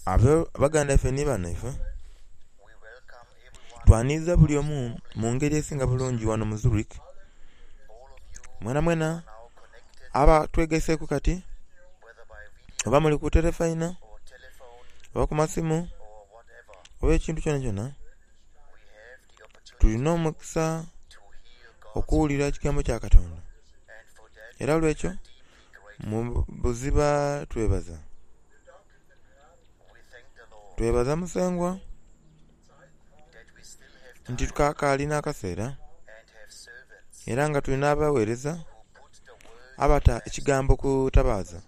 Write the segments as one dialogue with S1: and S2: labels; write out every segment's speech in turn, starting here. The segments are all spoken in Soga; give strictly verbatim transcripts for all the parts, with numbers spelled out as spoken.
S1: Baganda baife nhi banhaife, twanhiliza buli omu mu ngeri esinga bulungi ghano mu Zurich. Mwenamwena abatwegaiseku kati oba muli ku telefaina oba ku masimu oba ekintu kyonakyona, tulina omukisa okughulira ekigambo kya Katonda era olwekyo mu buziba twebaza. Twebaza Musengwa nti tukakali nh'akaseera era nga tulina abaghereza abata ekigambo ku tabaaza,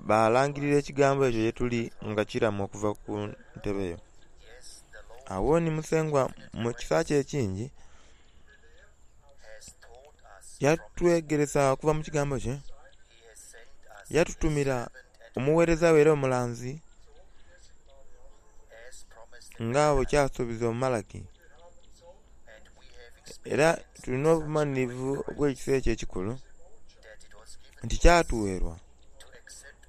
S1: balangilira ekigambo ekyo yetuli nga kilamu okuva ku ntebe yo. Agho ni Musengwa mu kisa kye ekingi yatwegeresa okuva mu kigambo kye, yatutumira omughereza we era omulanzi nga bwekyasubizibwa mu Malaki. Era tulina obumanhirivu obw'ekisa ekyo ekikulu nti kyatugherwa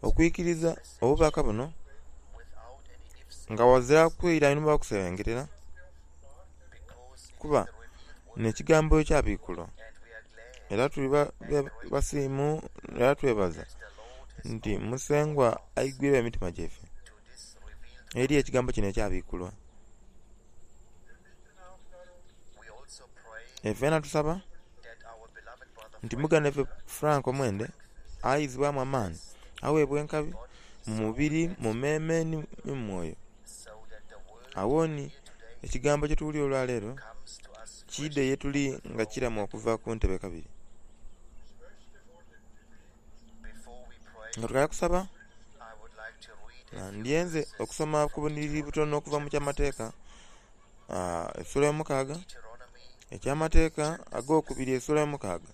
S1: okwikiriza obubaka buno nga ghazira kwira inhuma oba kusebengerera, kuba nh'ekigambo ekyabikulwa. Era tuli basiimu era twebaza nti Musengwa aigwiregho emitima gyaife eri ekigambo kino ekyabikulwa. Ifena tusaba nti muganda waife Frank Mwende aizibwamu amaani, aghebwa enkabi mu mubiri, mu meeme nhi mu mwoyo. Agho ni ekigambo kyetuwulire olwaleero kiidhe yetuli nga kilamu okuva ku ntebe kabiri. Nga tukaali kusaba, ndyenze okusoma ku bunhiliri butono okuva mu Kyamateeka esula ey'omukaaga, Ekyamateeka ag'okubiri esula ey'omukaaga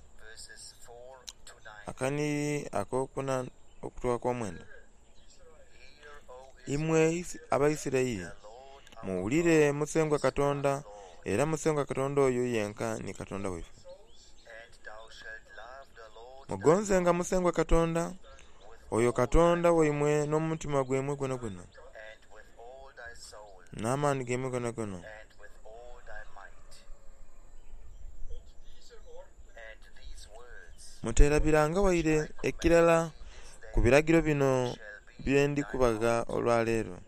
S1: akanhiliri ak'okuna okutuuka ku komwenda. Imwe Abaisiraeli, muwulire Musengwa Katonda, era Musengwa Katonda oyo yenka ni Katonda waife. Mugonzenga Musengwa Katonda, oyo Katonda waimwe n'omutima gwaimwe gwonagwona, n'amaani gaimwe gonagona. Muterabiranga waire ekirala ku biragiro bino bye ndi kubagha olwaleero.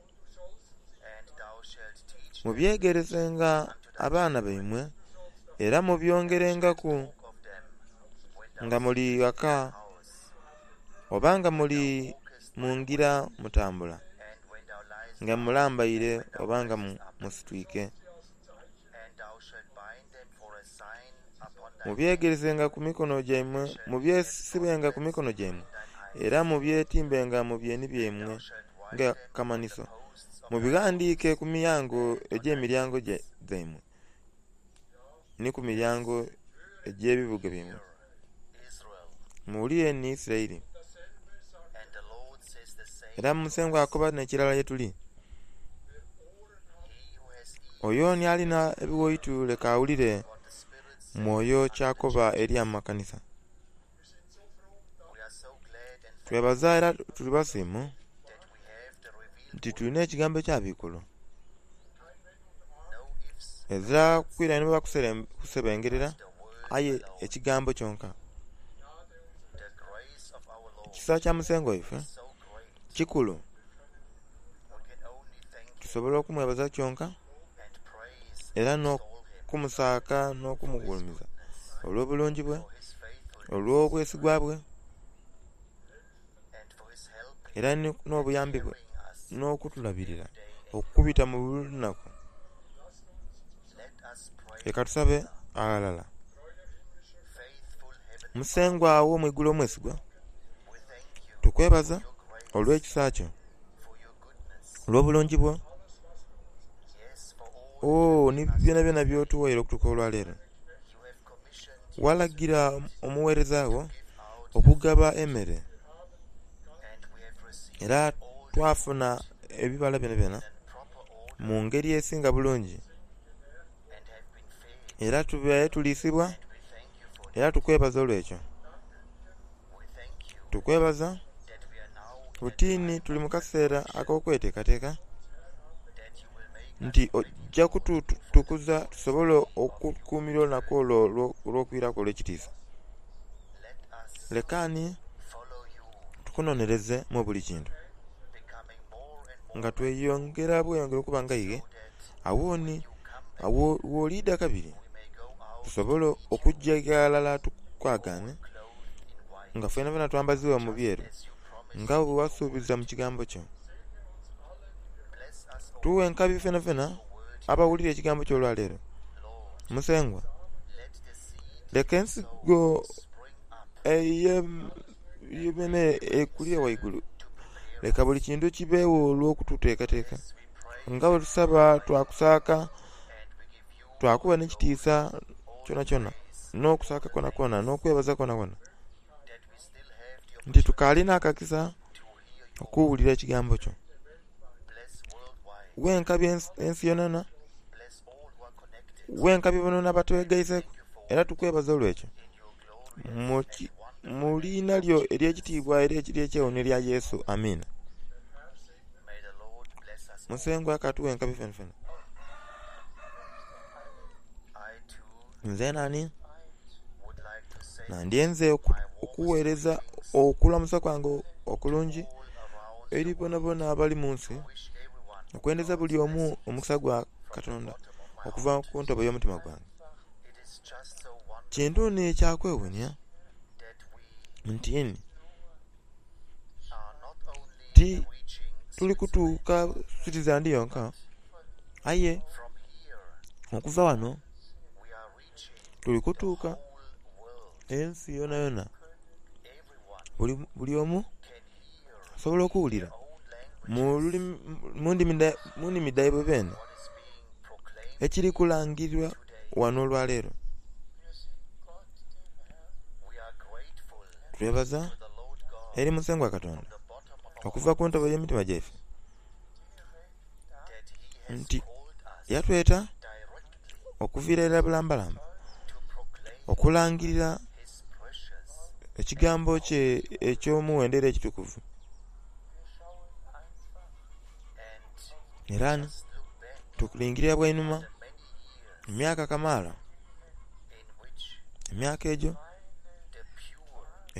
S1: Mubyegeresenga abaana baimwe era mubyongerengaku nga muli ghaka oba nga muli mu ngira mutambula, nga mulambaire oba nga musitwike. Mubyegeresenga ku mikono gyaimwe, mubyesibenga ku mikono gyaimwe, era mubyetimbenga mu byeni byaimwe ng'akamanhiso. Mubighandiike ku miyango egy'emiryango gyaimwe ni ku miryango egy'ebibuga byaimwe. Muwulire ni Isiraeli. Era Musengwa akoba n'ekirala ye tuli. Oyo ni alina ebighaitu leka awulire Mwoyo ky'akoba eri amakanisa. Twebaza era tuli basiimu nti tulina ekigambo ekyabikulwa. Ezira kwira inhuma kusebengerera aye ekigambo kyonka. Ekisa kya Musengwa waife kikulu, tusobola okumwebaza kyonka era n'okumusaaka n'okumugulumiza olw'obulungi bwe, olw'obwesigwa bwe, era n'obuyambi bwe n'okutulabirira okubita mu buli lunaku. Leka tusabe aghalala. Musengwa ow'omwigulu omwesigwa, tukwebaza olw'ekisa kyo, olw'obulungi bwo, oo ni byonabyona by'otuwaire okutuuka olwaleero. Walagira omugheereza wo okugaba emere, era twafuna ebibala byonabyona mu ngeri esinga bulungi, era tubaire tuliisibwa, era tukwebaza olw'ekyo. Tukwebaza Butini tuli mu kaseera ak'okweteekateeka nti ojja kututukuza tusobole okukuumira olunaku olwo olw'okwiraku olw'ekitiisa. Lekani tukunonereze mu buli kintu nga tweyongera bweyongere okuba nga iwe awoni w'oliidha kabiri tusobole okujja ghalala tukwagaane nga fenafena twambaziibwa mu byeru nga bwe wasuubiza mu kigambo kyo. Tuwe enkabi fenafena abawulira ekigambo kyo olwaleero. Musengwa, leka ensigo ey'ememe ekulire waigulu. Leka buli kintu kibeewo olw'okututeekateeka nga bwe tusaba twakusaaka twakuwa n'ekitiisa kyonakyona n'okusaaka kwonakwona n'okwebaza kwonakwona nti tukaalina akakisa okuwulira ekigambo kyo. Wenkabi ensi yonayona, wenkabi bonabona abatwegaiseku era tukwebaza olwekyo mu liina lyo ery'ekitiibwa era ery'ekyewuunhio erya Yesu, amiina. Musengwa katuwe enkabi fenafena. Nze nani nandyenze okuweereza okulamusa kwange okulungi eri bonabona abali mu nsi, okwendeza buli omu omukisa gwa Katonda okuva ku ntobo y'omutima gwange. Kintu ni ekyakwewuunia nti ni ti tuli kutuuka Switzerland yonka, aye okuva ghano tuli kutuuka ensi yonayona. Buli omu asobola okuwulira mu nnimi dhaibwe bene ekiri kulangirirwa ghano olwaleero. Twebaza eri Musengwa Katonda okuva ku ntobo y'emitima gyaife nti yatweta okuviira irala bulambalamba okulangirira ekigambo kye eky'omuwendo era ekitukuvu. Era tulingirira bwa inhuma emyaka kamaala, emyaka egyo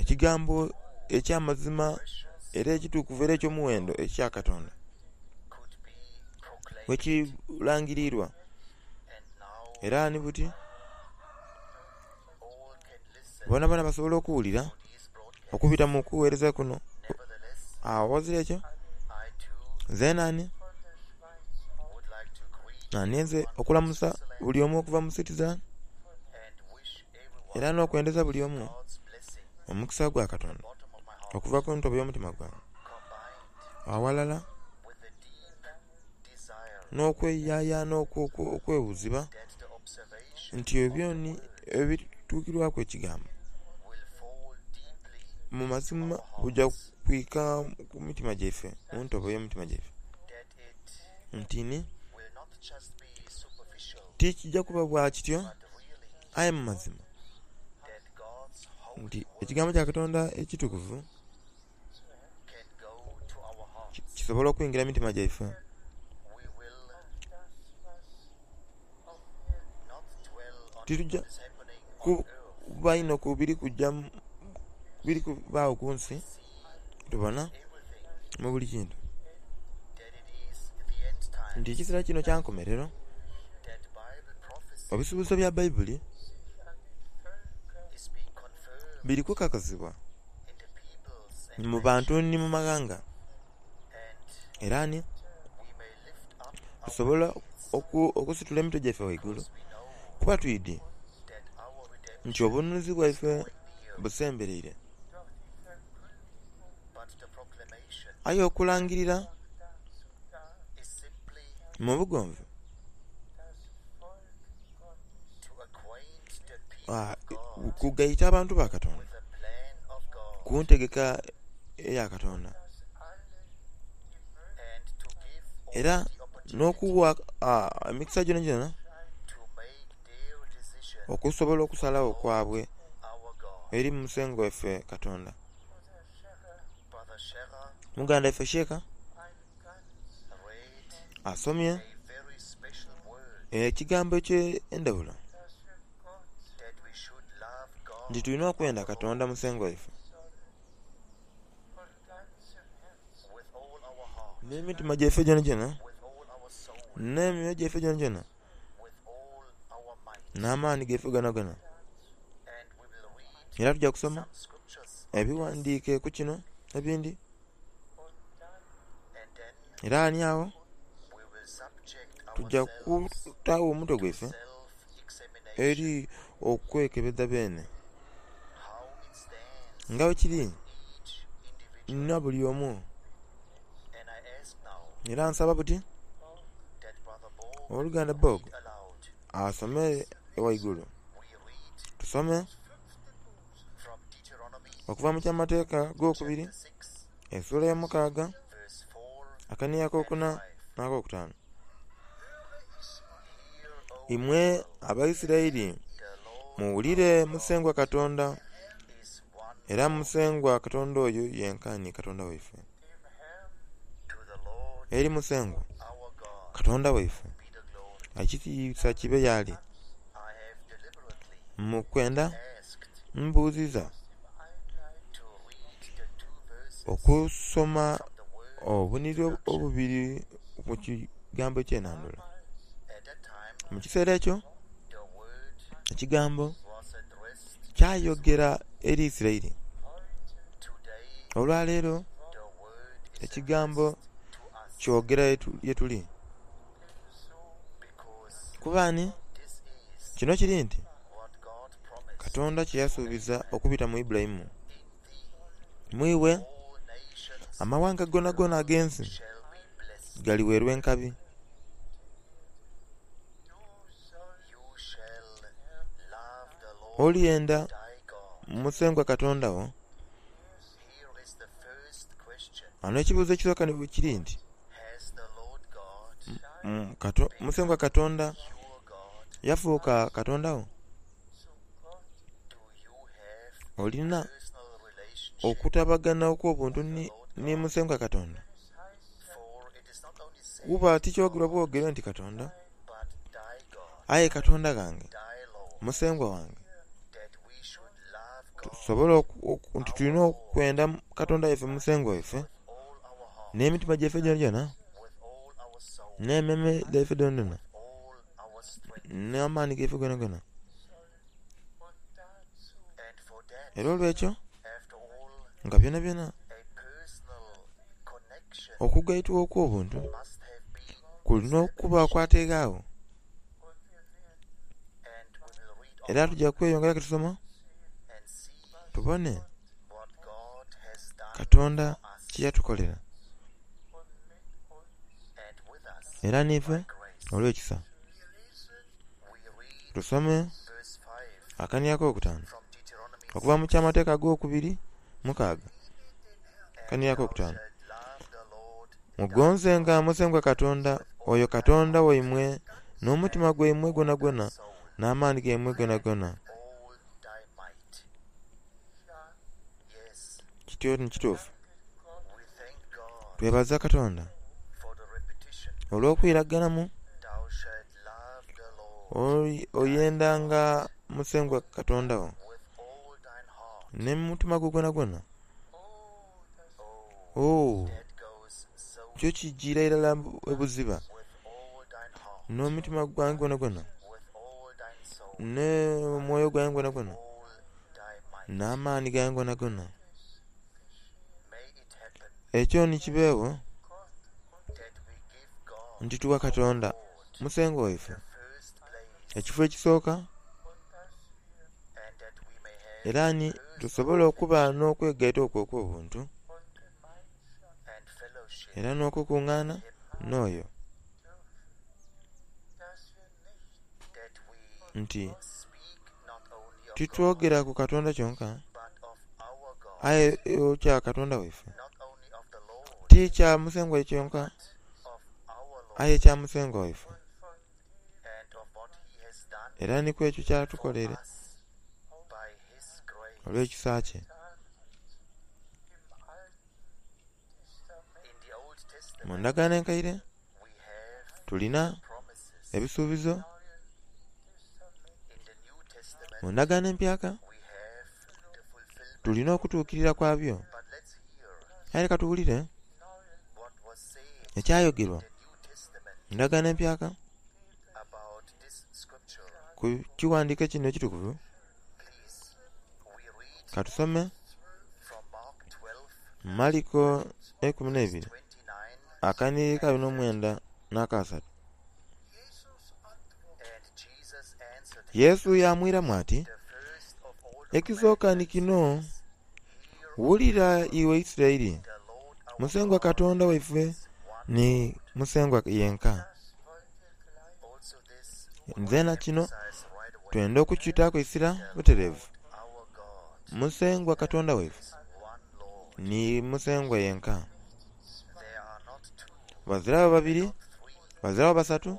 S1: ekigambo eky'amazima era ekitukuvu era eky'omuwendo ekya Katonda bwekilangirirwa era ni buti bonabona basobola okuwulira okubita mu kuweereza kuno. Aghazira ekyo nze nani nandyenze okulamusa buli omu okuva mu Switzerland era n'okwendeza buli omu omukisa gwa Katonda okuva ku ntobo y'omutima gwange aghalala n'okweyayana okwewuziba nti ebyoni ebituukirwaku ekigambo mu mazima buja kwika ku mitima gyaife, mu ntobo y'emitima gyaife nti ni tikijja kuba bwa kityo aye mu mazima nti ekigambo kya Katonda ekitukuvu kisobola okwingira mu mitima gyaife. Titujja kuba inho ku biri kujja biri kubaagho ku nsi tubona mu buli kintu nti ekiseera kino kya nkomerero ebisuubizo bya Baibuli biri kukakasibwa mu bantu ni mu maghanga era ni tusobola okusitula emitwe gyaife ghaigulu kuba twidhi nti obununuzi bwaife busembereire. Aye okulangirira mu bugonvu kugaita abantu ba Katonda ku ntegeka eya Katonda era n'okuwa emikisa gyonagyona okusobola okusalagho kwabwe eri Musengwa waife Katonda. Muganda waife Sheeka asomye ekigambo eky'endhaghulo nti tulina okwendha Katonda musengwa waife n'emitima gyaife gyonagyona, n'emyoyo gyaife gyonagyona, n'amaani gaife gonagona. Era tugya kusoma ebighandhiike ku kino ebindhi era ni agho tugya kutaagho omutwe gwaife eri okwekebeza beene nga bwekiri na buli omu. Era nsaba buti owoluganda Bob asome ghaigulu tusome okuva mu Kyamateeka agokubiri esula eyomukaaga akanhiriri akokuna nh'akokutaanu. Imwe Abaisiraeli muwulire Musengwa Katonda, era Musengwa Katonda oyo yenka ni Katonda waife. Eri Musengwa Katonda waife, ekitiisa kibe y'ali. Mu kwendha mbuuziza okusoma obunhiriri obubiri mu kigambo eky'enhandhula. Mu kiseera ekyo, ekigambo kyayogera eri Isiraeli. Olwaleero ekigambo kyogera yetuli. Kuba ani? Kino kiri nti Katonda kyeyasuubiza okubita mu Ibulayimu, mu iwe amawanga gonagona ag'ensi galiwerwa enkabi. Olyenda Musengwa Katonda wo. Ghano ekibuuzo ekisooka kiri nti Musengwa Katonda yafuuka Katonda wo? Olina okutabagana okw'obuntu ni Musengwa Katonda? Kuba tikyogerwa bwogere nti Katonda, aye Katonda ghange, Musengwa wange. Tusobola nti tulina okwenda Katonda waife Musengwa waife n'emitima gyaife gyonagyona, n'emmeeme dhaife dhoonadhoona, n'amaani gaife gonagona. Era olw'ekyo nga byonabyona okugaitwa okw'obuntu kulina okuba kwateegho. Era tugya kweyongeraku tusoma tubone Katonda kyeyatukolera era niife olw'ekisa. Tusome akanhiriri akokutaanu okuva mu Kyamateeka agokubiri mukaaga akanhiriri akokutaanu. Mugonzenga Musengwa Katonda oyo Katonda waimwe n'omutima gwaimwe gwonagwona n'amaani gaimwe gonagona. Kityo ni kituufu. Twebaza Katonda olw'okwiraganamu oyendanga Musengwa Katonda wo n'omutima gwo gwonagwona. Oh, kyo kijiira irala ebuziba n'omutima gwange gwonagwona, n'omwoyo gwange gwonagwona, n'amaani gange gonagona. Ekyo ni kibeegho nti tuwa Katonda Musengwa waife ekifo ekisooka era ni tusobole okuba n'okwegaita okwo okw'obuntu era n'okukungaana n'oyo nti titwogera ku Katonda kyonka aye kya Katonda waife, ti kya Musengwa kyonka aye kya Musengwa waife era ni ku ekyo kyatukoleire olw'ekisa kye. Mu ndagaano enkaire tulina ebisuubizo. Mu ndagaano empyaka tulina okutuukirira kwabyo. Aye leka tuwulire ekyayogerwa mu ndagaano empyaka ku kiwandiiko kino ekitukuvu. Katusome Maliko eikumi n'eibiri akanhiriri ka abiri n'omwenda n'akasatu. Yesu yamwiramu ati, "Ekisooka ni kino, wulira iwe Isiraeli, Musengwa Katonda waife ni Musengwa yenka." Nzena kino twenda okukitaaku eisira butereevu. Musengwa Katonda waife ni Musengwa yenka. Baziragho babiri, baziragho basatu,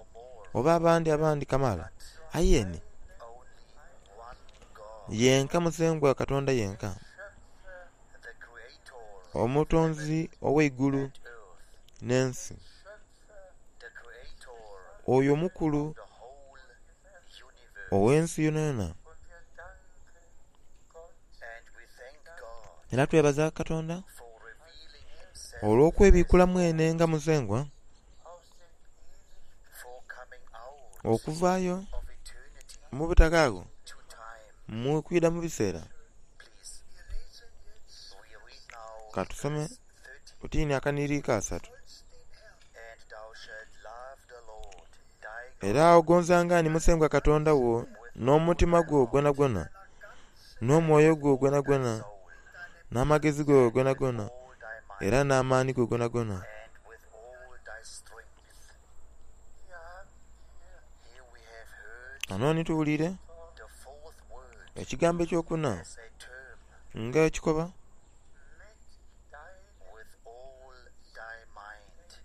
S1: oba abandi abandi kamaala, aye ni yenka Musengwa Katonda yenka, Omutonzi ow'eigulu n'ensi, oyo omukulu ow'ensi yonayona. Era twebaza Katonda olw'okwebikula mwene nga Musengwa okuvaayo mu butakaagho mu kwidha mu biseera. Katusome butini akanhiriri ka asatu. Era ogonzanga ni Musengwa Katonda wo n'omutima gwo gwonagwona, n'omwoyo gwo gwonagwona, n'amagezi go gonagona, era n'amaani go gonagona. Ghano ni tuwulire ekigambo ekyokuna nga ekikoba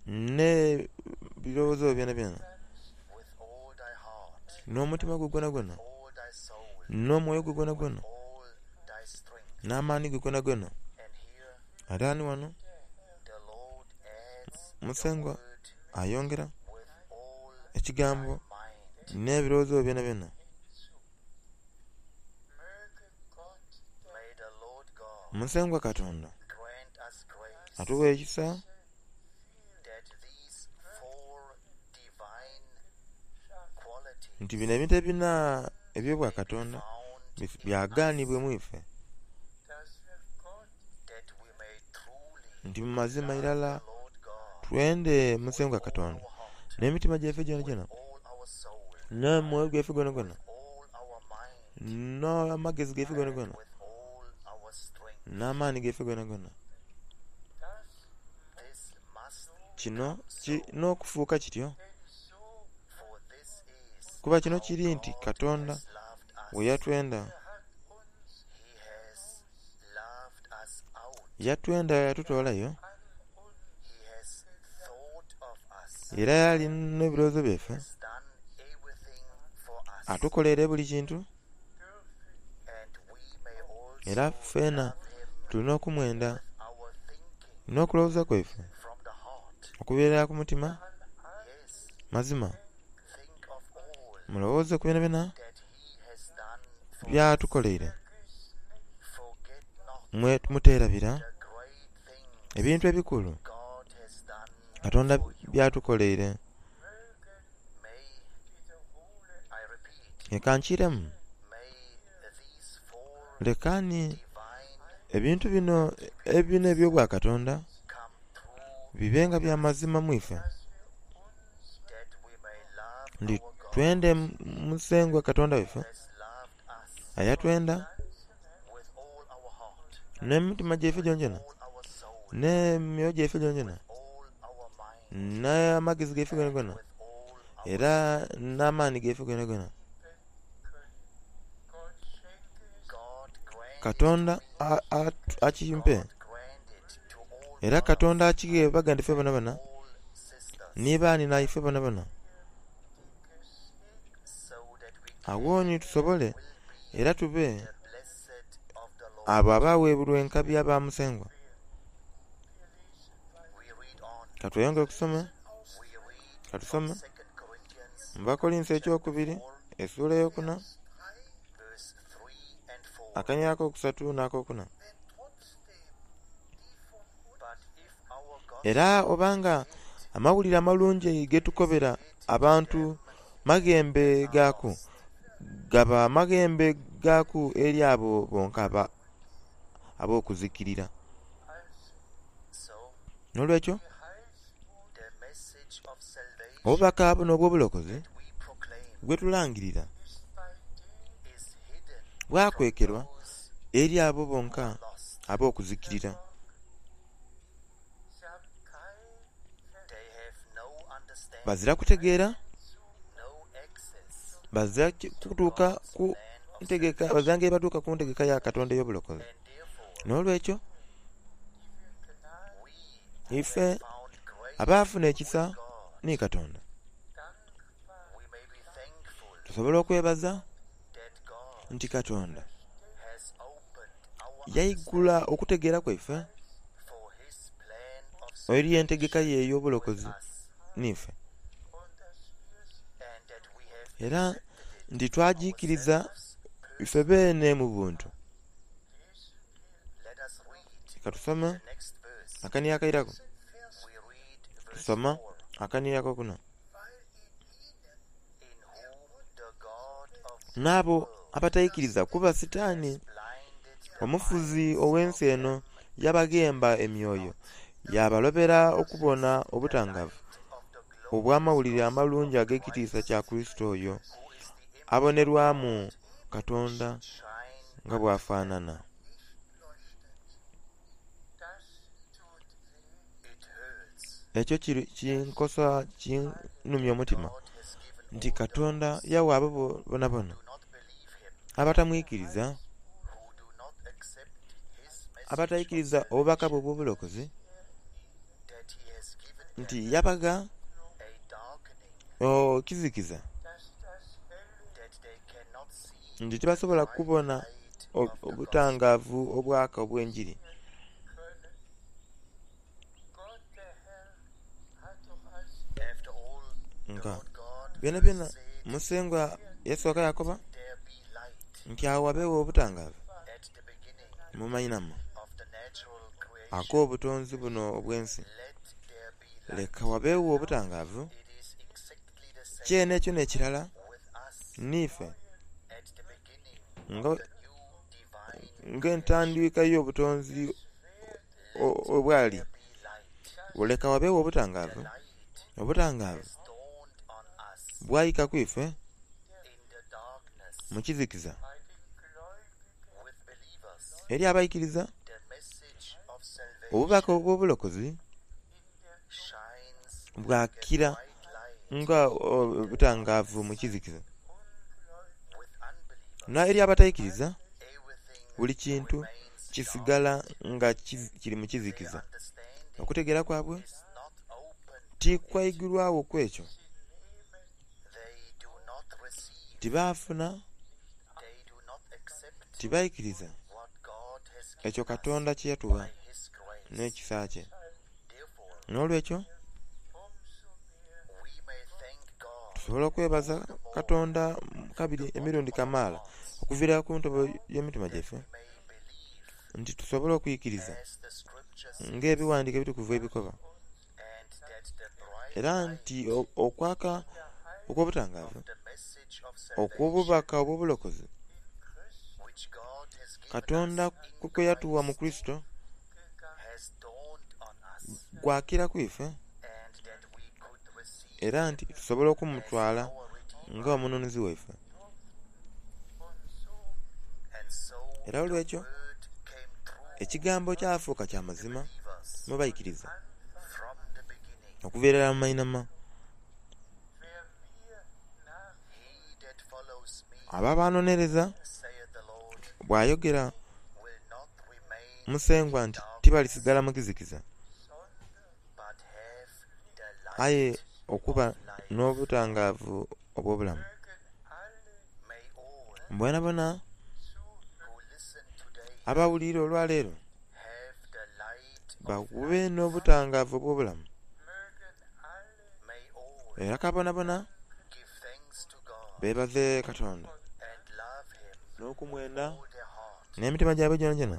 S1: n'ebirowoozo byonabyona, n'omutima gwo gwonagwona, n'omwoyo gwo gwonagwona, n'amaani go gonagona. Ate ni ghano Musengwa ayongera ekigambo n'ebirowoozo byonabyona. Musengwa Katonda atuwa ekisa nti bino ebintu ebina eby'obwakatonda byaganibwe mu ife, nti mu mazima irala twende Musengwa Katonda n'emitima gyaife gyonagyona, n'omwoyo gwaife gwonagwona, n'amagezi gaife gonagona, n'amaani gaife gonagona. Kino n'okufuuka kityo, kuba kino kiri nti Katonda bwe yatwenda, yatwenda yatutoolayo, era yali n'ebirowoozo byaife, atukoleire buli kintu, era ffena tulina okumwenda n'okulowooza kwaife okubeera ku mutima. Mazima mulowooze ku byonabyona byatukoleire, muterabira ebintu ebikulu Katonda byatukoleire. Leka nkiremu, leka ni ebintu bino ebina eby'obwakatonda bibe nga bya mazima mu ife, nti twende Musengwa Katonda waife ayatwenda n'emitima gyaife gyonagyona, n'emyoyo gyaife gyonagyona, n'amagezi gaife gonagona, era n'amaani gaife gonagona. Katonda akimpe, era Katonda akighe baganda baife bonabona ni baani naife bonabona. Agho ni tusobole era tube abo abaweebulwa enkabi aba Musengwa. Katweyongere okusoma, katusome mu Bakolinso ekyokubiri essuula eyokuna akanyiriro akokusatu n'akokuna. Era obanga amawulire amalungi getukobera abantu maghembe gaaku, gaba maghembe gaaku eri abo bonka ab'okuzikirira. N'olwekyo obubaka buno obw'obulokozi bwetulangirira bwakwekerwa eri abo bonka ab'okuzikirira. Bazira kutegeera, bazira kutuuka ku ntegeka, bazira ngeri batuuka ku ntegeka ya Katonda ey'obulokozi. N'olwekyo ife abaafuna ekisa ni Katonda tusobola okwebaza nti Katonda yaigula okutegeera kwaife eri entegeka ye ey'obulokozi niife, era nti twagikiriza ife beene mu buntu. Katusome akanyiriro akairaku, tusoma akanyiriro akokuna. N'abo abataikiriza kuba Sitaani omufuzi ow'ensi eno yabaghemba emyoyo, yabalobera okubona obutangaavu obw'Amawulire Amalungi ag'ekitiisa kya Kurisito oyo abonerwamu Katonda nga bw'afaanana. Ekyo kinkosa, kinumya omutima nti Katonda yawa abo bonabona abatamwikiriza, abataikiriza obubaka bwe obw'obulokozi, nti yabagha ekizikiza nti tibasobola kubona obutangaavu obwaka obw'enjiri. Nga byonabyona Musengwa yasooka yakoba nti agho ghabeegho obutangaavu mu mainhama ag'obutonzi buno obw'ensi. Leka ghabeegho obutangaavu, kyene ekyo n'ekirala niife nga entandikwa y'obutonzi obwali, leka ghabeegho obutangaavu, obutangaavu bwaika ku ife mu kizikiza eri abaikiriza obubaka obw'obulokozi bwakira nga obutangaavu mu kizikiza. N'eri abataikiriza buli kintu kisigala nga kiri mu kizikiza. Okutegeera kwabwe tikwaigulwagho ku ekyo, tibaafuna, tibaikiriza ekyo Katonda kye yatugha n'ekisa kye. N'olwekyo tusobola okwebaza Katonda kabiri emirundi kamaala okuviira ku ntobo y'emitima gyaife nti tusobole okwikiriza ng'ebighandiiko ebitukuvu ebikoba, era nti okwaka okw'obutangaavu okw'obubaka obw'obulokozi Katonda kwe yatuwa mu Kurisito gwakira ku ife, era nti tusobola okumutwala nga omununuzi waife. Era olwekyo ekigambo kyafuuka kya mazima mu baikiriza okuva irala mu mainhama. Abo abanonereza bw'ayogera Musengwa nti tibalisigala mu kizikiza, aye okuba n'obutangaavu obw'obulamu. Bonabona abawulire olwaleero babe n'obutangaavu obw'obulamu. Era ka bonabona beebaze Katonda n'okumwenda n'emitima gyabwe gyonagyona,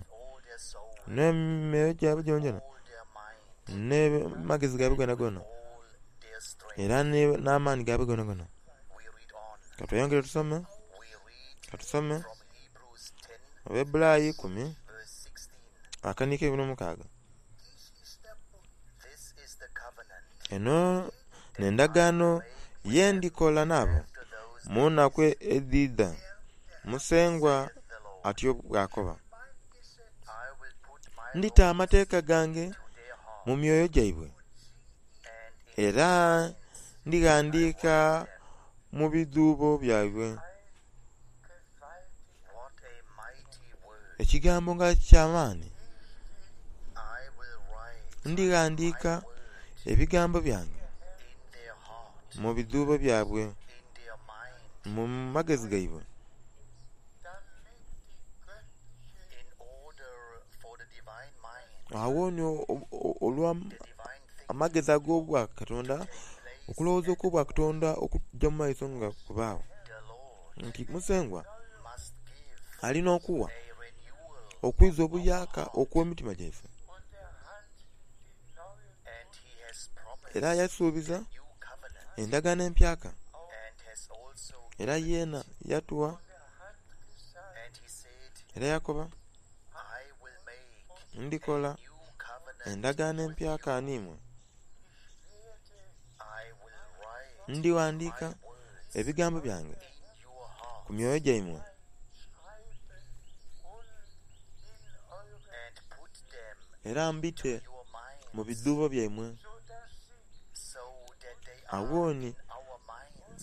S1: n'emyoyo gyabwe gyonagyona, n'amagezi gaibwe gonagona, era n'amaani gaibwe gonagona. Katweyongere tusome, katusome Abebulayi ikumi akaniiko eikumi n'omukaaga. Eno n'endagaano ye ndikola nabo mu nnaku edhidha, Musengwa atyo bw'akoba. Ndita amateeka gange mu myoyo gyaibwe era ndighandiika mu bidhuubo byaibwe. Ekigambo nga ky'amaani! Ndighandiika ebigambo byange mu bidhuubo byaibwe, mu magezi gaibwe. Agho ni olwa amagezi ag'obwakatonda, okulowooza okw'obwakatonda okugya mu maiso nga kubaagho nti Musengwa alina okuwa okwiza obuyaaka okw'emitima gyaife. Era yasuubiza endagaano empyaka era yeena yatuwa era yakoba, ndikola endagaano empyaka n'imwe, ndighandiika ebigambo byange ku myoyo gyaimwe era mbite mu bidhuubo byaimwe. Agho ni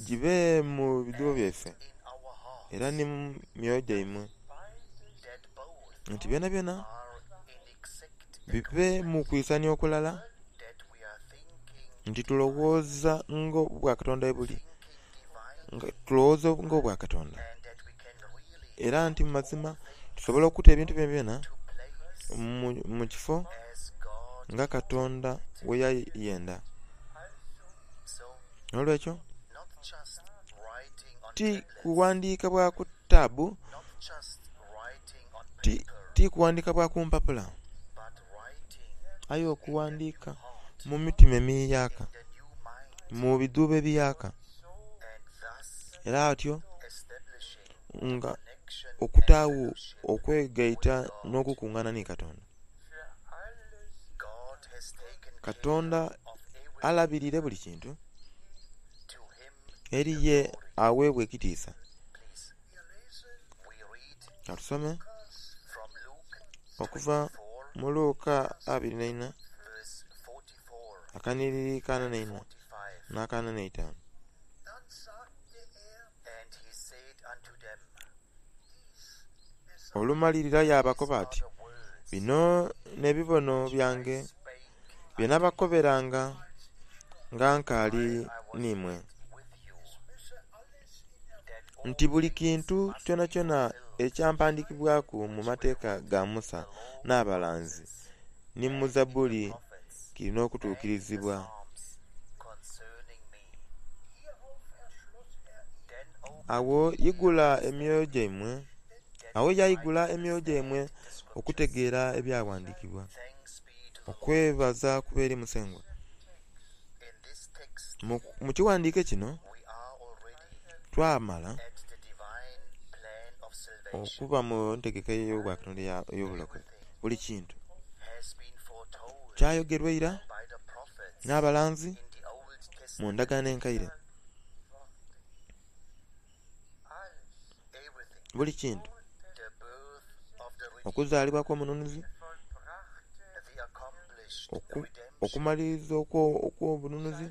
S1: gibe mu bidhuubo byaife era ni mu myoyo gyaimwe, nti byonabyona bibe mu kwisania okulala, nti tulowooza nga obwakatonda bwe buli, nga tulowooza nga obwakatonda, era nti mu mazima tusobola okuta ebintu byonabyona mu kifo nga Katonda bweyayenda. N'olwekyo ti kughandiika bwa ku taabu, ti kughandiika bwa ku mpapula, aye okughandiika mu mitima emiyaaka, mu bidhuubo ebiyaaka, era atyo nga okutaagho okwegaita n'okukungana ni Katonda. Katonda alabirire buli kintu eri ye aweebwa ekitiisa. Katusome okuva mu Luka abiri n'eina akanhiriri k'ana n'eina n'akana n'eitaanu. Olumalirira yaabakoba ati, bino n'ebibono byange bye nabakoberanga nga nkaali n'imwe, nti buli kintu kyonakyona ekyampandiikibwaku mu Mateeka ga Musa n'abalanzi ni mu Zabbuli kiri n'okutuukirizibwa. Agho igula emyoyo gyaimwe, agho yaigula emyoyo gyaimwe okutegeera ebyaghandiikibwa. Okwebaza kube eri Musengwa. Mu kighandiiko kino twamala okuba mu ntegeka ey'obwakatonda ey'obulokozi. Buli kintu kyayogerwa ira n'abalanzi mu ndagaano enkaire. Buli kintu, okuzaalibwa kw'omununuzi, okumaliriza okw'obununuzi,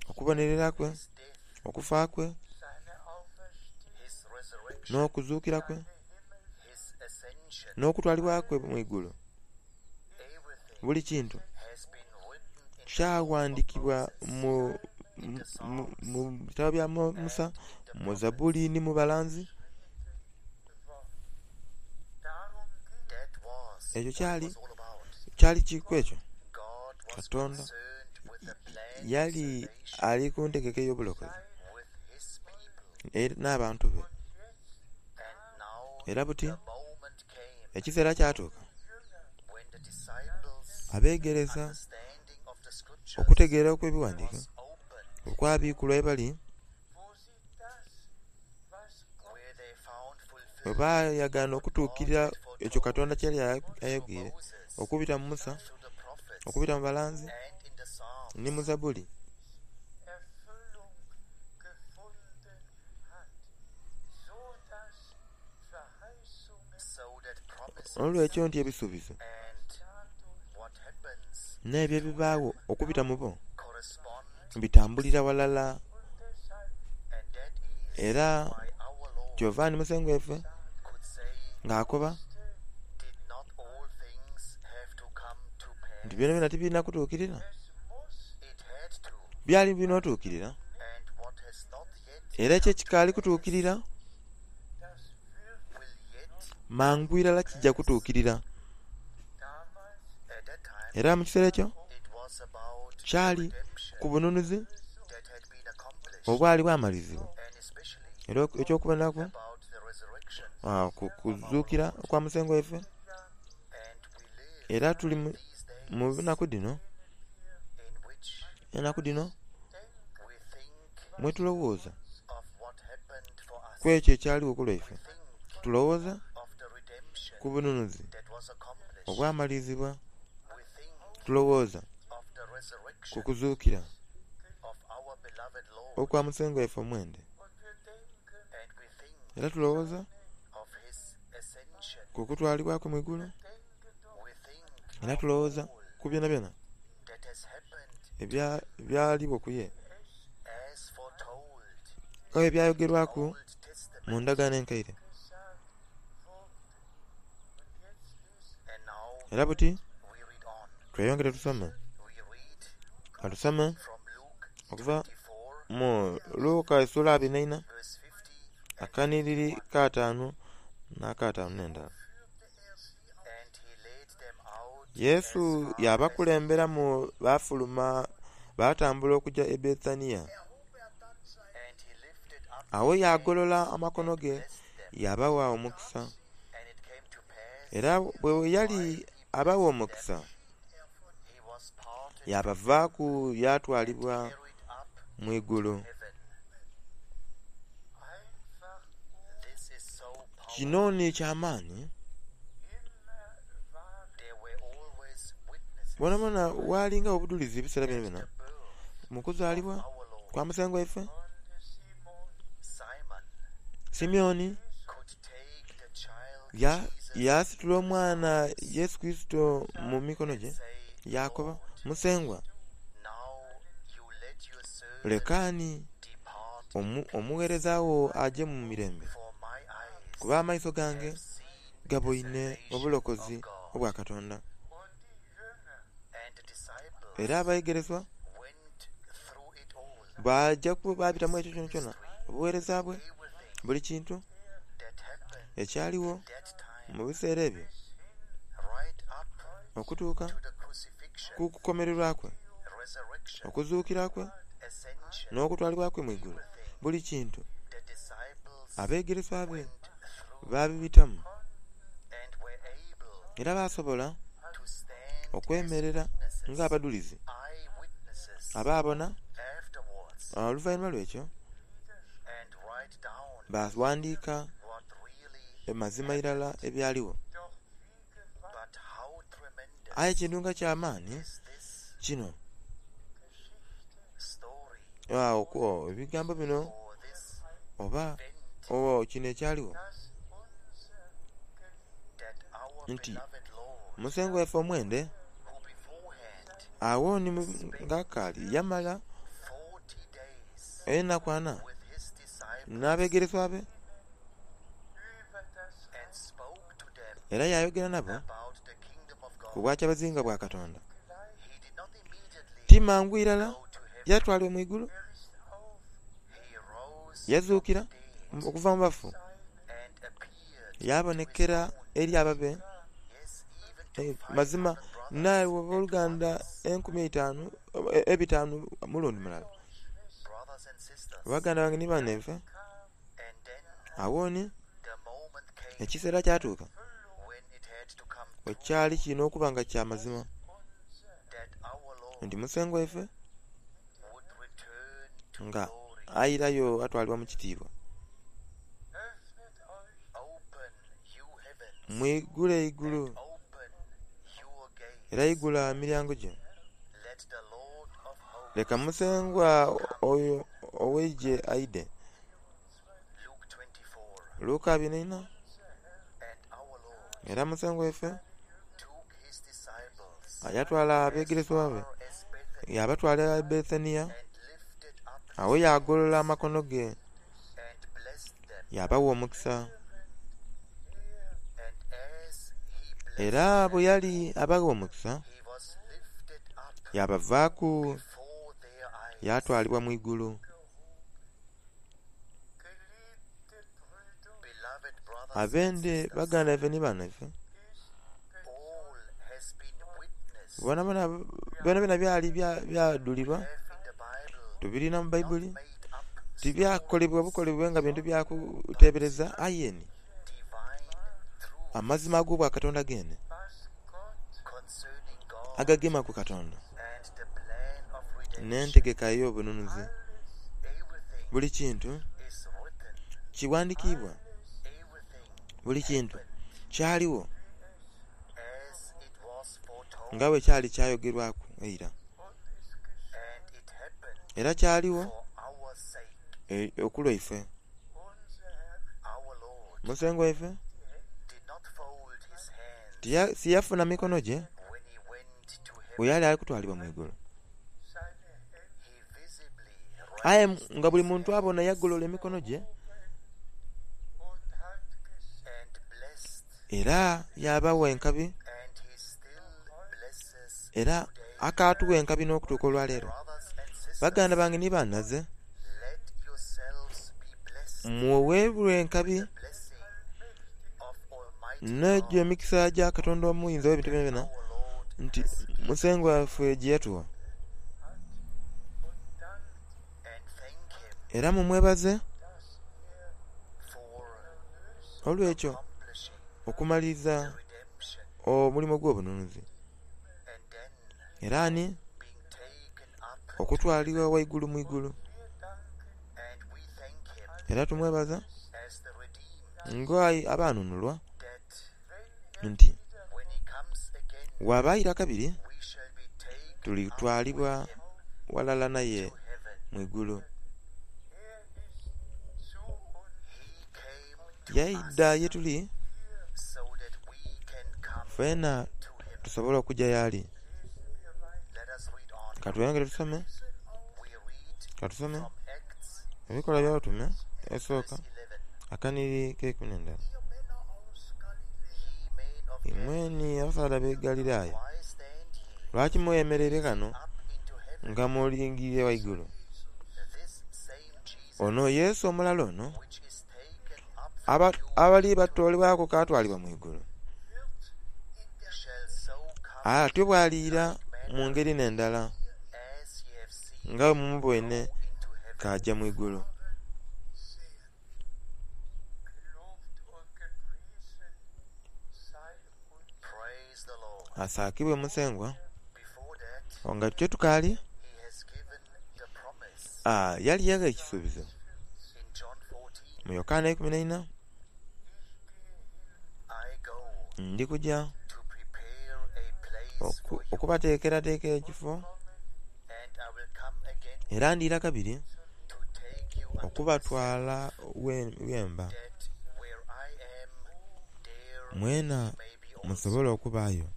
S1: okubonerera kwe, okufa kwe, n'okuzuukira kwe, n'okutwalibwa kwe mu igulu. Buli kintu kyaghandiikibwa mu, mu bitabo bya Musa, mu Zabbuli ni mu balanzi. Ekyo kyali kyali kiku ekyo Katonda Yali ali ku ntegeka ey'obulokozi n'abantu be. Era buti ekiseera kyatuuka abegeresa okutegeera okw'ebighandike bwe kwabikulwa yebali, bwebayagana okutukirira ekyo Katonda kyeyali ayogeire okubita mu Musa, okubita mu balanzi ni mu Zabuli. Olwekyo nti ebisuubizo n'ebyo ebibagho okubita mubo bitambulira ghalala. Era kyova ni Musengwa waife nga akoba nti byonabyona tibirina kutuukirira. Byali birina otuukirira era ekyo ekikaali kutuukirira mangu irala kijja kutuukirira. Era mu kiseera ekyo kyali ku bununuzi obwali bwamalizibwa era eky'okuboneraku ku kuzuukira okwa Musengwa waife. Era tuli mu naku dhino, enaku dhino mwetulowooza ku ekyo ekyaligho ku lwaife. Tulowooza ku bununuzi obwamalizibwa, tulowooza ku kuzuukira okwa Musengwa waife omwende. Era tulowooza ku kutwalibwa kwe mu igulu. Era tulowooza ku byonabyona ebyaligho ku ye nga bwe byayogerwaku mu ndagaano enkaire. Era buti tweyongere tusome, katusome okuva mu Luka esula abiri n'eina akanhiriri k'ataanu n'akataanu n'endala. Yesu yabakulemberamu bafuluma batambula okugya e Bethania. Agho yaagolola amakono ge yaabagha omukisa. Era bwe yali abagha omukisa yabavaaku yatwalibwa mu igulu. Kino ni ky'amaani. Bwonabwona ghalinga obudhulizi ebiseera byonabyona mu kuzaalibwa kwa Musengwa waife. Simyoni yasitula omwana Yesu Kurisito mu mikono gye yaakoba, Musengwa, lekaani omugheereza wo aje mu mirembe, kuba amaiso gange gaboine obulokozi obwa Katonda. Era abegereswa baja babitamu ekyo kyonakyona, obugheereza bwe, buli kintu ekyaligho mu biseera ebyo okutuuka ku kukomererwa kwe, okuzuukira kwe, n'okutwalibwa kwe mu igulu. Buli kintu abegereswa be babibitamu era basobola okwemerera nga abadhulizi abaabona oluvainhuma lw'ekyo baghandhiika amazima irala ebyaligho. Aye ekintu nga ky'amaani kino, ebigambo bino oba kino ekyaligho nti Musengwa waife omwende agho ni nga akaali yamala enaku ana n'abegereswa be era yayogera nabo ku bwakyabazinga bwa Katonda. Ti mangu irala yatwalibwa mu igulu, yazuukira okuva mu bafu, yabonekera eri ababe. Mazima Naawe abooluganda enkumi eitaanu ebitaanu mulundi mulala. Baganda bange ni banhaife, awo ni ekiseera kyatuuka bwekyali kili nh'okuba nga kya mazima nti Musengwa waife nga airayo atwalibwa mu kitiibwa. Mwigule eigulu era igula emilyango gyo. Leka Musengwa oyo ow'eigye aidhe. Luka abiri nh'einha. Era Musengwa waife yatwala abegeresebwa be yabatwala e Bethania, agho yagolola amakono ge yabawa omukisa. Era bwe yali abagha omukisa, yabavaaku yatwalibwa mu igulu. Abende baganda baife ni banhaife, byonabyona byali byadhulirwa, tubilina mu Baibuli. Tibyakolebwa bukolebwe nga bintu bya kutebereza aye ni amazima ag'obwakatonda gene agagema ku Katonda n'entegeka ey'obununuzi. Buli kintu kighandhikiibwa, buli kintu kyaligho nga bwe kyali kyayogerwaku eira. Era kyaligho okulwaife. Musengwa waife tiyafuna mikono gye bwe yali ali kutwalibwa mu igulu. Aye nga buli muntu abona yagolola emikono gye era yabawa enkabi era akatugha enkabi n'okutuuka olwaleero. Baganda bange ni banhaze, muweebwe enkabi n'egyo emikisa gya Katonda omuyinza ow'ebintu byonabyona nti Musengwa waife gye yatugha. Era mumwebaze olw'ekyo okumaliriza omulimo ogw'obununuzi. Era ni okutwalibwa ghaigulu mu igulu. Era tumwebaza nga abanunulwa nti bw'aba aira kabiri tulitwalibwa ghalala naye mu igulu. Yaidha ye tuli fena tusobole okugya y'ali. Katweyongere tusome, katusome Ebikolwa Eby'Abatume esooka akanhiriri ak'eikumi n'endala. Imwe ni abasaadha ab'e Galilaaya, lwaki mwemereire ghano nga mulingiliire ghaigulu? Ono Yesu omulala ono abali batoolebwaku k'atwalibwa mu igulu, atyo bw'aliira mu ngeri n'endala nga bwe mumuboine k'aja mu igulu. Asaakibwe Musengwa nga kyo tukaali yali yagha ekisuubizo mu Yokaana eikumi n'eina ndi kugya okubateekerateekera ekifo era ndiira kabiri okubatwala ghemba, mwena musobole okubaayo.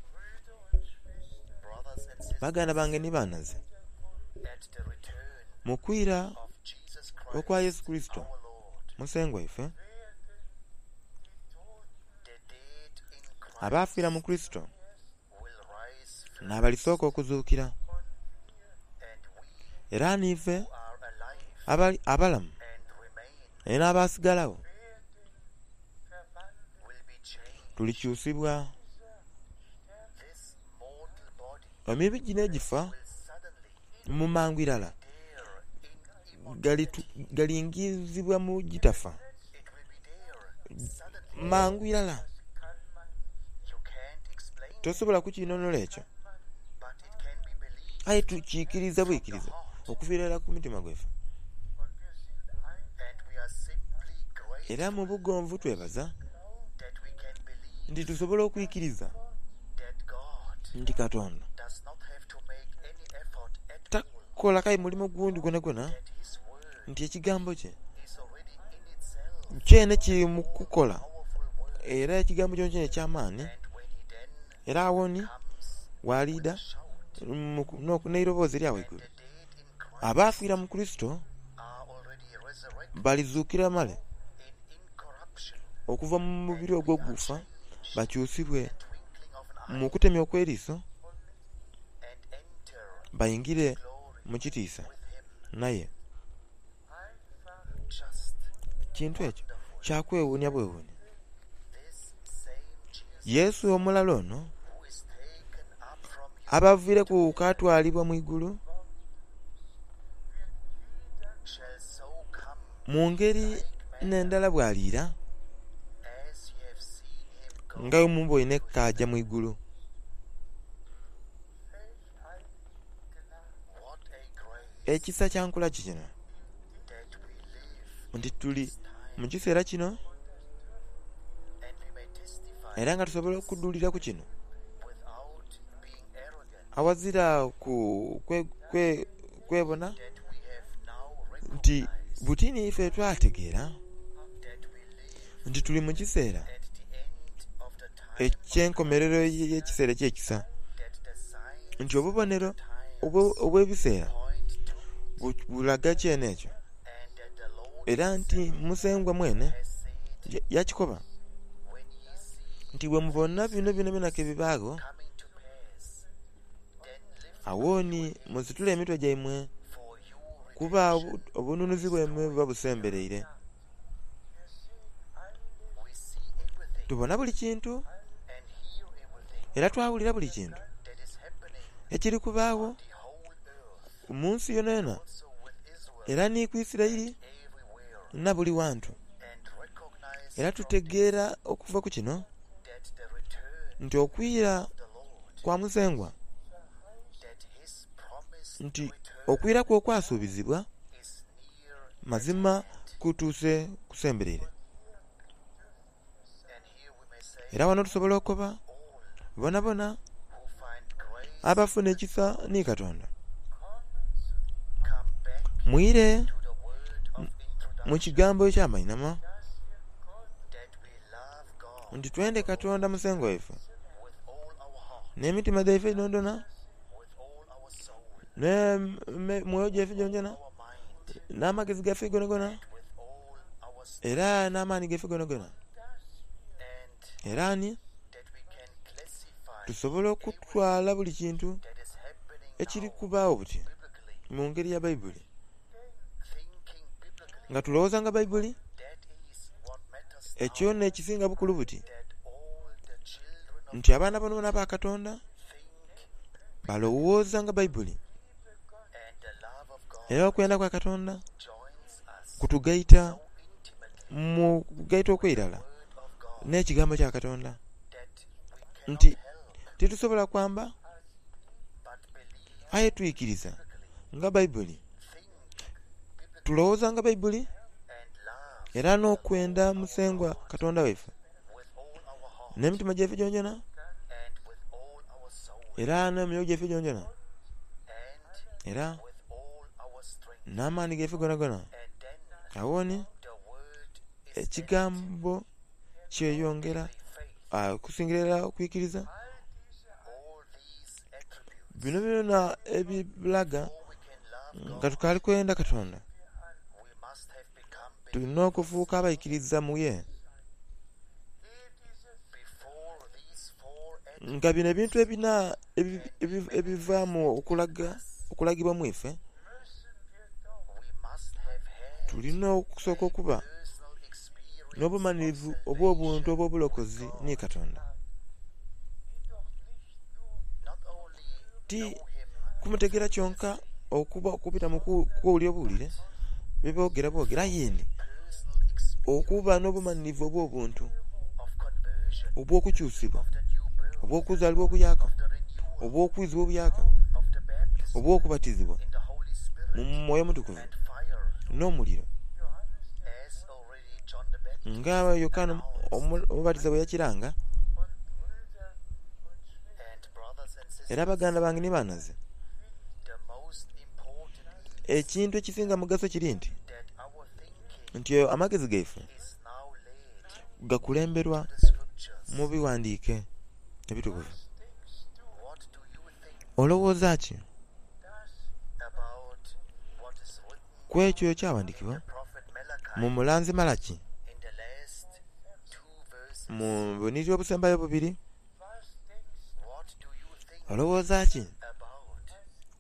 S1: Baganda bange ni banhaze, mu kwira okwa Yesu Kurisito Musengwa waife, abaafiira mu Kurisito n'abalisooka okuzuukira. Era niife abalamu era n'abasigalagho tulikyusibwa. Emibiri gino egifa mu mangu irala galingizibwa mu gitafa mangu irala. Tosobola kukinhonhola ekyo, aye tukikiriza bwikiriza okuviira irala ku mutima gwaife. Era mu bugonvu twebaza nti tusobola okwikiriza nti Katonda takola kai mulimo gundi gwonagwona, nti ekigambo kye kyene kiri mu kukola, era ekigambo kyonakyona eky'amaani. Era awo ni bw'aliidha n'eiroboozi erya ghaigulu, abaafiira mu Kurisito balizuukira male okuva mu mubiri ogwo ogufa bakyusibwe mu kutemya okw'eriiso baingire mu kitiisa naye. Kintu ekyo kya kwewuunia bwewuunia. Yesu omulala ono abaviireku k'atwalibwa mu igulu mu ngeri n'endala bw'aliira nga bwe mumuboine k'aja mu igulu. Ekisa kya nkula ki kino nti tuli mu kiseera kino era nga tusobola okudhulira ku kino aghazira kwebona nti buti niife twategeera nti tuli mu kiseera eky'enkomerero y'ekiseera eky'ekisa, nti obubonero obw'ebiseera bulaga kyene ekyo, era nti Musengwa mwene yakikoba nti bwemubona bino byonabyona ke bibaagho, agho ni musitule emitwe gyaimwe kuba obununuzi bwaimwe buba busembereire. Tubona buli kintu era twawulira buli kintu ekiri kubaagho mu nsi yonayona era ni ku Isiraeli na buli wantu. Era tutegeera okuva ku kino nti okwira kwa Musengwa, nti okwira kwe okwasuubizibwa mazima kutuuse kusembereire. Era ghano tusobola okukoba bonabona abafuna ekisa ni Katonda, mwire mu kigambo eky'amainhama nti twende Katonda Musengwa waife n'emitima gyaife dhonadyona, n'emyoyo gyaife gyonagyona, n'amagezi gaife gonagona, era n'amaani gaife gonagona. Era ni tusobola okutwala buli kintu ekiri kubaagho buti mu ngeri ya Baibuli, nga tulowooza nga Baibuli. Ekyo n'ekisinga bukulu buti nti abaana bonabona aba Katonda balowooza nga Baibuli, era okwenda kwa Katonda kutugaita mu kugaita okw'eirala n'ekigambo kya Katonda, nti titusobola kwamba aye twikiriza nga Baibuli, tulowooza nga Baibuli, era n'okwenda Musengwa Katonda waife n'emitima gyaife gyonagyona, era n'emyoyo gyaife gyonagyona, era n'amaani gaife gonagona. Agho ni ekigambo kyeyongera okusingira irala okwikiriza. Bino byona ebibulaga nga tukaali kwenda Katonda, tulina okufuuka abaikiriza mu ye. Nga bino ebintu ebina ebivaamu okulaga okulagibwa mu ife, tulina okusooka okuba n'obumanhirivu obw'obuntu obw'obulokozi ni Katonda. Ti kumutegeera kyonka okuba okubita mu kuwulira obuwulire bye boogera bwogera, aye ni okuba n'obumanhirivu obw'obuntu obw'okukyusibwa, obw'okuzaalibwa okuyaka, obw'okwizibwa obuyaka, obw'okubatizibwa mu Mwoyo Mutukuvu n'omuliro, nga Yokaana Omubatiza bwe yakiranga. Era baganda bange ni banhaze, ekintu ekisinga mugaso kiri nti nti amagezi gaife gakulemberwa mu bighandiike ebitukuvu. Olowooza ki ku ekyo ekyaghandiikibwa mu mulanzi Malaki mu bunhiliri obusembayo bubiri? Olowooza ki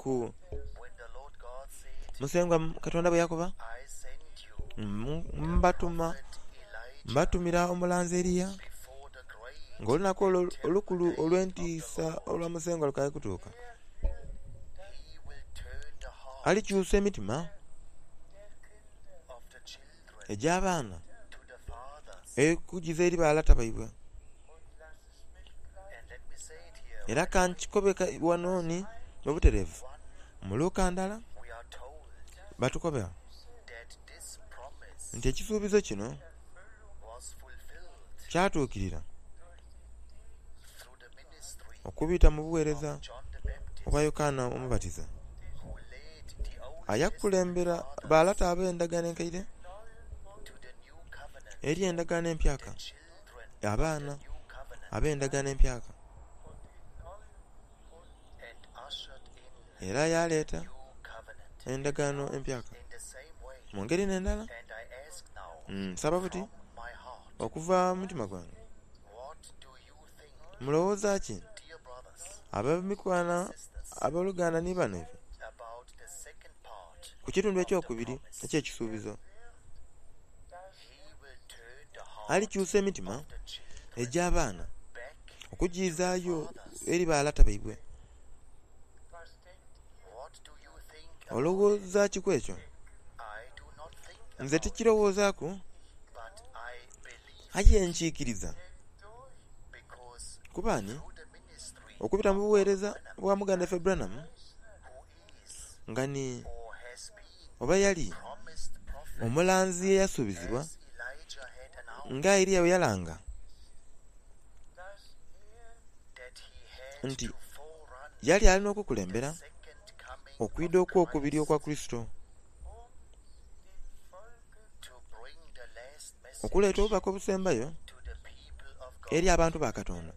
S1: ku Musengwa Katonda bwe yakoba, mbatuma mbatumira omulanzi Eliya ng'olunaku olwo olukulu olw'entiisa olwa Musengwa lukaali kutuuka. Alikyusa emitima egy'abaana okugiza eri balata baibwe. Era kankikobe ghano ni mu butereevu mu Luka ndala batukoba nti ekisuubizo kino kyatuukirira okubita mu buweereza obwa Yokaana Omubatiza, eyakulembera balata ab'endagaano enkaire eri endagaano empyaka, abaana ab'endagaano empyaka. Era yaleeta endagaano empyaka. Mu ngeri n'endala, nsaba buti okuva mu mutima gwange, mulowooza ki ab'emikwano aboluganda ni banaife ku kitundu ekyokubiri eky'ekisuubizo? Alikyusa emitima egy'abaana okugiizaayo eri balata baibwe. Olowooza ki ku ekyo? Nze tikirowoozaaku, aye nkiikiriza. Kuba ni okubita mu buweereza bwa muganda waife Branham, nga ni oba yali omulanzi eyasuubizibwa nga Eliya bwe yalanga nti yali alina okukulembera okwidha okw'okubiri okwa Kurisito, okuleeta obubaka obusembayo eri abantu ba Katonda,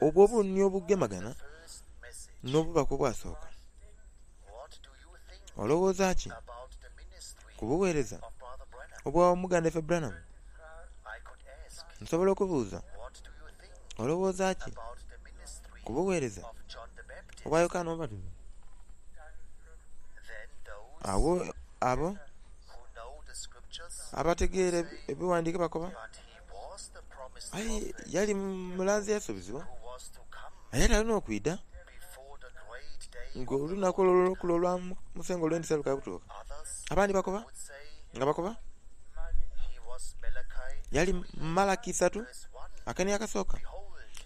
S1: obwo obuni obugemagana n'obubaka obwasooka. Olowooza ki ku buweereza obwa muganda waife Branham? Nsobola okubuuza, olowooza ki ku buweereza obwa Yokaana Omubatiza? Agho abo abategeera ebighandiike bakoba, aye yali mulanzi eyasuubizibwa, yali alina okwidha ng'olunaku olwo olukulu olwa Musengwa olw'entiisa lukaali kutuuka. Abandi bakoba nga bakoba yali Malaki isatu akani akasooka,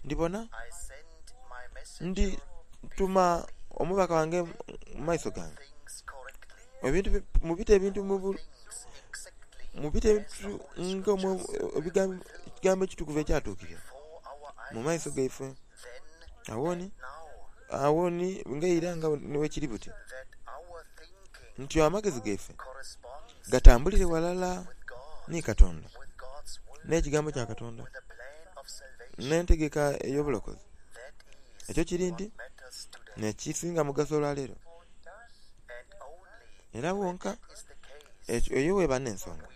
S1: ndibona ndituma omubaka wange mu maiso gange. Ebintu mubite ebintu mubite ebintu nga ekigambo ekitukuvu ekyatuukirira mu maiso gaife. Agho ni agho ni ng'eira nga bwekiri buti nti amagezi gaife gatambulire ghalala ni Katonda, n'ekigambo kya Katonda, n'entegeka ey'obulokozi. Ekyo kiri nti n'ekisinga mugaso olwaleero. Era wonka eyo weba n'ensonga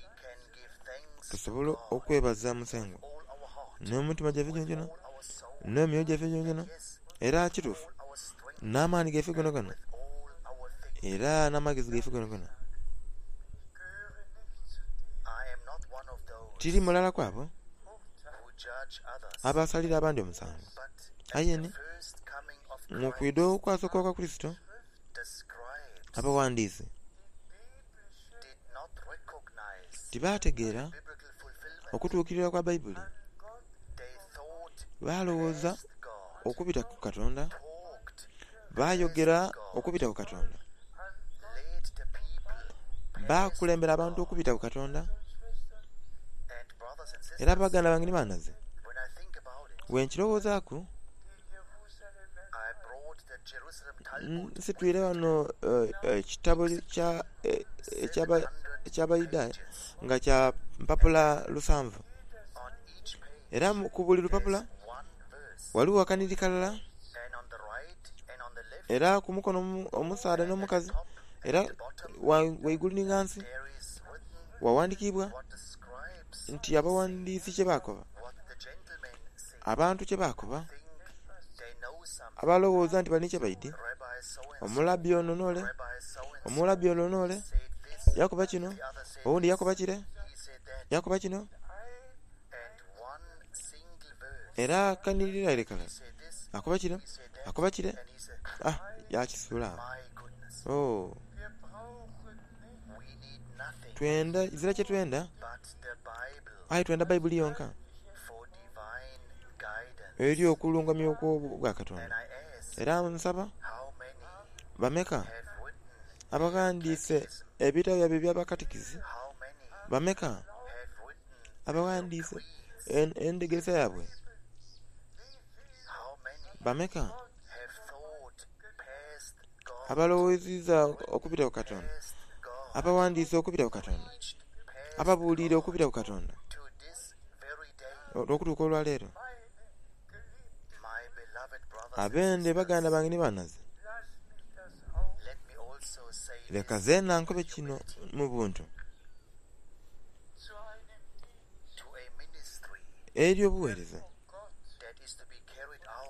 S1: tusobola okwebaza Musengwa n'emitima gyaife gyonagyona, n'emyoyo gyaife gyonagyona, era kituufu n'amaani gaife gonagona, era n'amagezi gaife gonagona. Tiri mulala ku abo abasalira abandi omusango, Aye ni mu kwidha okwasooka okwa Kurisito, abawandiisi tibaategeera okutuukirira kwa Baibuli. Balowooza okubita ku Katonda, bayogera okubita ku Katonda, bakulembera abantu okubita ku Katonda. Era baganda bange ni banaze, bwenkirowoozaaku, nsitwire ghano ekitabo eky'Abayudaaya nga kya mpapula lusanvu. Era ku buli lupapula ghaligho akanhiriri kalala, era ku mukono omusaadha n'omukazi, era ghaigulu ni ghansi ghaghandhikibwa nti abaghandhisi kyebakoba, abantu kyebakoba, abalowooza nti balina kyebaidhi, omulabi ono n'ole, omulabi ono n'ole, yakoba kino, oghundhi yakoba kire, yakoba kino. Era akanhiriri kalala akoba kire, akoba kire, ah yakisuula agho. Oh, twenda ezira kyetwenda aye twenda Baibuli yonka eri okulungamya okw'obwa Katonda. Era nsaba bameka abaghandiise ebitabo byaibwe eby'abakatikizi? Bameka abaghandiise endhegeresa yaibwe? Bameka abalowooziza okubita ku Katonda, abaghandiise okubita ku Katonda, ababuliire okubita ku Katonda okutuuka olwaleero? Abende baganda bange ni banaze, leka zeena nkobe kino mu buntu eri obuweereza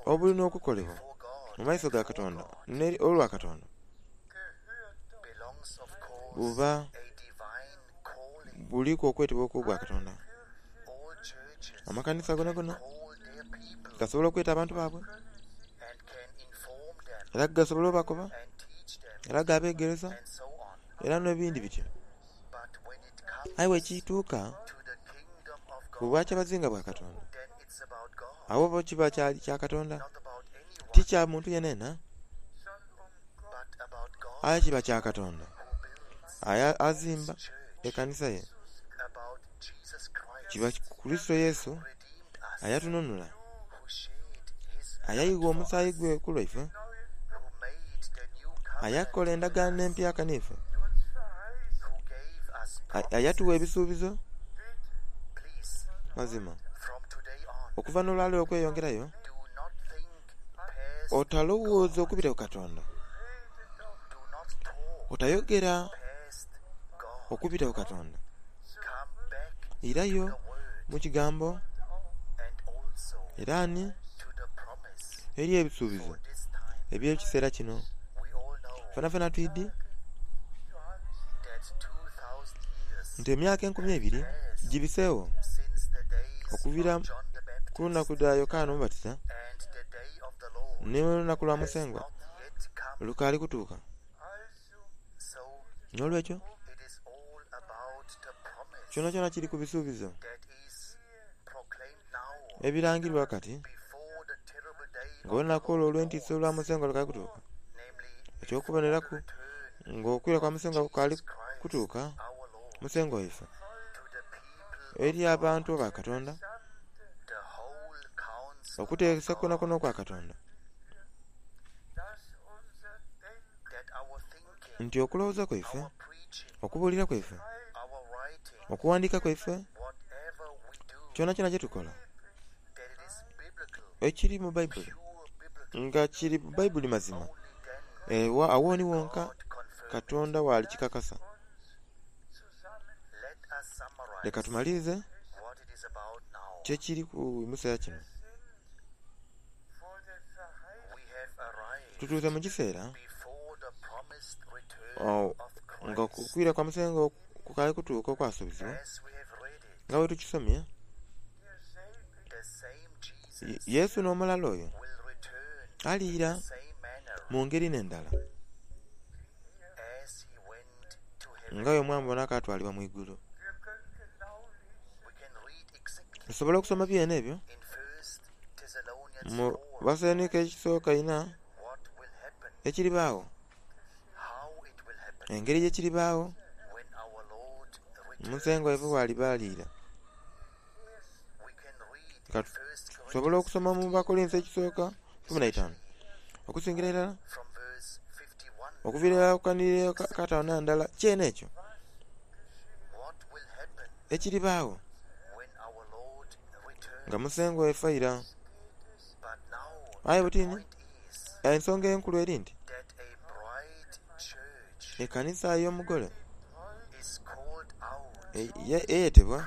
S1: obulina okukolebwa mu maiso ga Katonda olwa Katonda buba buliku okwetebwa okw'obwa Katonda. Amakanisa gonagona gasobola okweta abantu baibwe era gasobola obakoba era gabegeresa era n'ebindi bityo. Aye bwekituuka ku bwakyabazinga bwa Katonda, agho bo kiba kya Katonda, ti kya muntu yenayena, aye kiba kya Katonda aye azimba ekanisa ye. Kiba Kurisito Yesu ayatununula, ayaigha omusaayi gwe ku lwaife, ayakola endagaano empyaka n'ife, ayatuwa ebisuubizo. Mazima, okuva n'olwaleero okweyongerayo, otalowooza okubita ku Katonda, otayogera okubita ku Katonda. Irayo mu kigambo era ni eri ebisuubizo eby'ekiseera kino. Fenafena twidhi nti emyaka enkumi ebiri gibiseegho okuviira ku lunaku lwa Yokaana Omubatiza n'olunaku lwa Musengwa lukaali kutuuka. N'olwekyo kyonakyona kiri ku bisuubizo ebirangirwa kati ng'olunaku olwo olw'entiisa olwa Musengwa lukaali kutuuka. Eky'okuboneraku ng'okwira kwa Musengwa kukaali kutuuka, Musengwa waife eri abantu ba Katonda, okuteesa kwonakwona okwa Katonda, nti okulowooza kwaife, okubuulira kwaife, okuwandiika kwaife, kyonakyona kyetukola ekiri mu Baibuli nga kiri mu Baibuli mazima, agho ni wonka Katonda walikikakasa. Leka tumalirize kyekiri ku museera kino. Tutuuse mu kiseera nga okwira kwa Musengwa kukaali kutuuka okwasuubizibwa, nga bwe tukisomye, Yesu n'omulala oyo Aliira mu ngeri n'endala nga bwe mwamubona akatwalibwa mu igulu. Tusobola okusoma byene ebyo mu Basenika ekisooka ina ekiribaawo, engeri gyekiribaawo Musengwa waife bwaliba aliira. Tusobola okusoma mu Bakolinso ekisooka ikumi na itaanu okusingira irala okuviira irala ku kanhiriro akataanu n'endala kyene ekyo ekiribaawo nga Musengwa waife aira. Aye butini ensonga enkulu eri nti ekanisa ey'omugole eyetebwa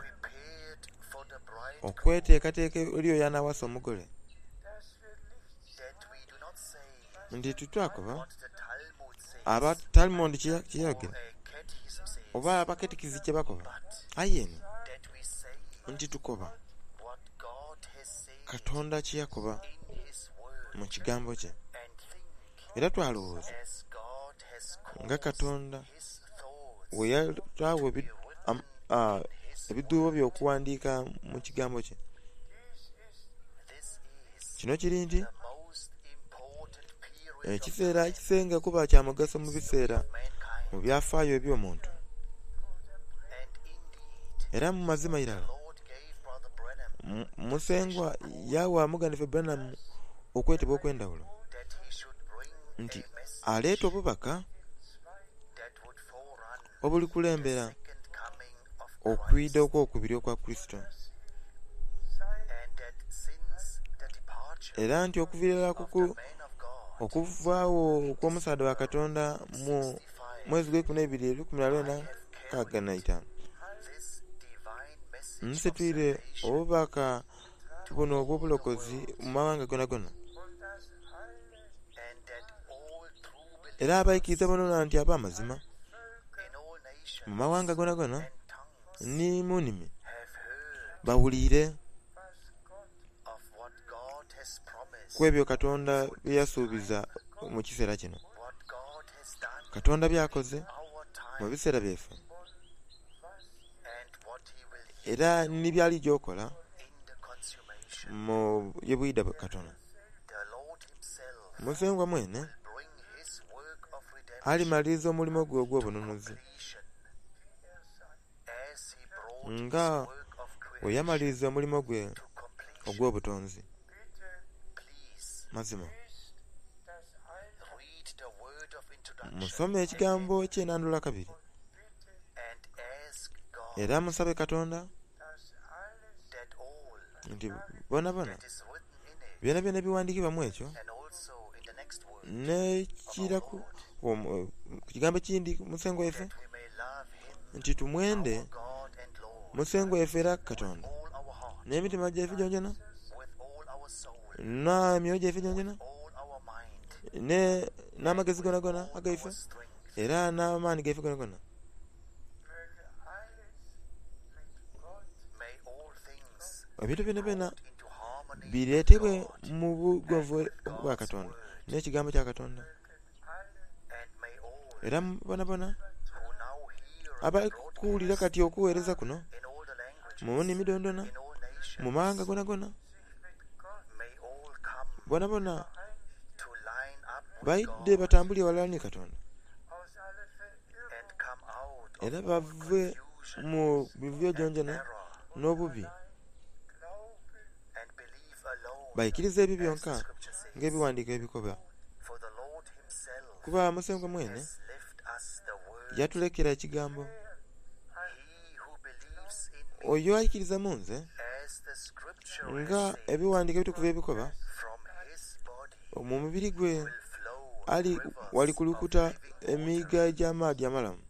S1: okweteekateeka eri oyo anaawasa omugole, nti titwakoba aba Talmud kyeyayogera oba abakatikizi kyebakoba, aye eno nti tukoba Katonda kyeyakoba mu kigambo kye. Era twalowooza nga Katonda bwe yataagho ebidhuubo bye okuwandiika mu kigambo kye. Kino kiri nti ekiseera ekisinga kuba kya mugaso mu biseera mu byafaayo eby'omuntu. Era mu mazima irala Musengwa yawa Muganife Branham okwetebwa okw'endhaghulo nti aleeta obubaka obulikulembera okwidha okw'okubiri okwa Kurisito. Era nti okuviira irala okuvaagho okw'omusaadha wa Katonda mu mwezi gw'eikumi n'eibiri olukumi na lwenda nkaaga na itaanu, nsitwire obubaka buno obw'obulokozi mu mawanga gonagona. Era abaikiriza bonabona nti ab'amazima mu mawanga gonagona ni mu nnimi bawuliire ku ebyo Katonda bye yasuubiza mu kiseera kino. Katonda by'akoze mu biseera byaife era ni by'alija okola mu ye bwidha katono. Musengwa mwene alimaliriza omulimo gwe ogw'obununuzi nga bwe yamaliriza omulimo gwe ogw'obutonzi. Mazima musome ekigambo eky'enandula kabiri era musabe Katonda nti bonabona byonabyona ebiwandiikibwa mu ekyo n'ekiraku ku kigambo ekindi Musengwa waife nti tumwende Musengwa waife era Katonda n'emitima gyaife gyonagyona n'emyoyo gyaife gyonagyona n'amagezi gonagona agaife era n'amaani gaife gonagona. Ebintu byonabyona bireetebwe mu bugonvu bwa Katonda n'ekigambo kya Katonda. Era bonabona abali kuwulira kati okuweereza kuno mu nnimi dhonadhona mu mawanga gonagona, bonabona baidhe batambulire ghalala ni Katonda era bave mu mivuyo gyongyona n'obubi, baikirize ebyo byonka ng'ebiwandiiko ebikoba. Kuba Musengwa mwene yatulekera ekigambo, oyo aikiriza mu nze nga ebiwandiiko ebitukuvu ebikoba, mu mubiri gwe ali walikulukuta emiiga egy'amaadhi amalamu.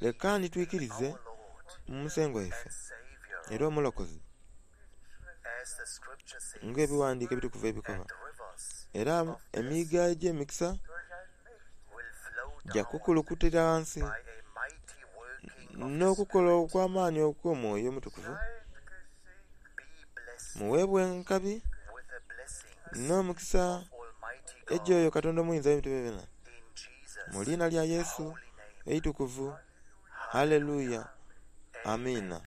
S1: Leka ni twikirize mu Musengwa waife era Omulokozi ng'ebiwandiiko ebitukuvu ebikoba. Era emiiga egy'emikisa gya kukulukutira ghansi n'okukola okw'amaani okw'Omwoyo Omutukuvu. Muweebwe enkabi N'omukisa egy'oyo Katonda omuyinza ow'ebintu byonabyona. Mu liina lya Yesu eitukuvu. Haleluya. Amiina.